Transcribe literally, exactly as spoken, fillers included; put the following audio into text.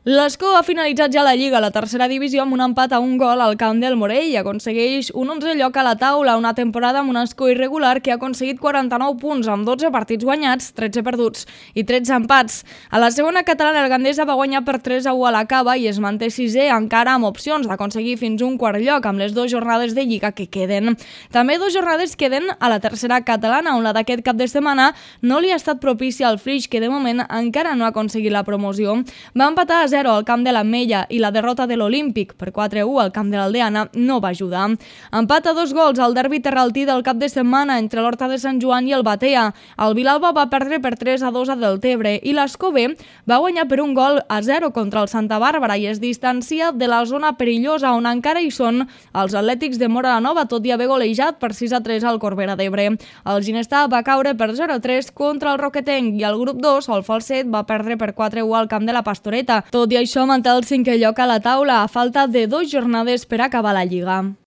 L'Escó ha finalitzat ja la Lliga, la tercera divisió, amb un empat a un gol al camp del Morell i aconsegueix un onzè lloc a la taula, una temporada amb un Escó irregular que ha aconseguit quaranta-nou punts amb dotze partits guanyats, tretze perduts i tretze empats. A la segona catalana, el Gandesa va guanyar per tres a u a la Cava i es manté sisè, encara amb opcions d'aconseguir fins un quart lloc amb les dues jornades de Lliga que queden. També dues jornades queden a la tercera catalana, on la d'aquest cap de setmana no li ha estat propícia al Flix, que de moment encara no ha aconseguit la promoció. Va empatar a zero al camp de l'Ametlla i la derrota de l'Olímpic per quatre a u al camp de l'Aldeana no va ajudar. Empat a dos gols al derbi terraltí del cap de setmana entre l'Horta de Sant Joan i el Batea. El Vilalba va perdre per tres a dos a Deltebre i l'Escó B va guanyar per un gol a zero contra el Santa Bàrbara i es distancia de la zona perillosa on encara hi són els Atlètics de Móra la Nova, tot i haver golejat per sis a tres al Corbera d'Ebre. El Ginestar va caure per zero a tres contra el Roquetenc i el grup dos, el Falset, va perdre per quatre a u al camp de la Pastoreta. Tot i això, manté el cinquè lloc a la taula a falta de dues jornades per acabar la Lliga.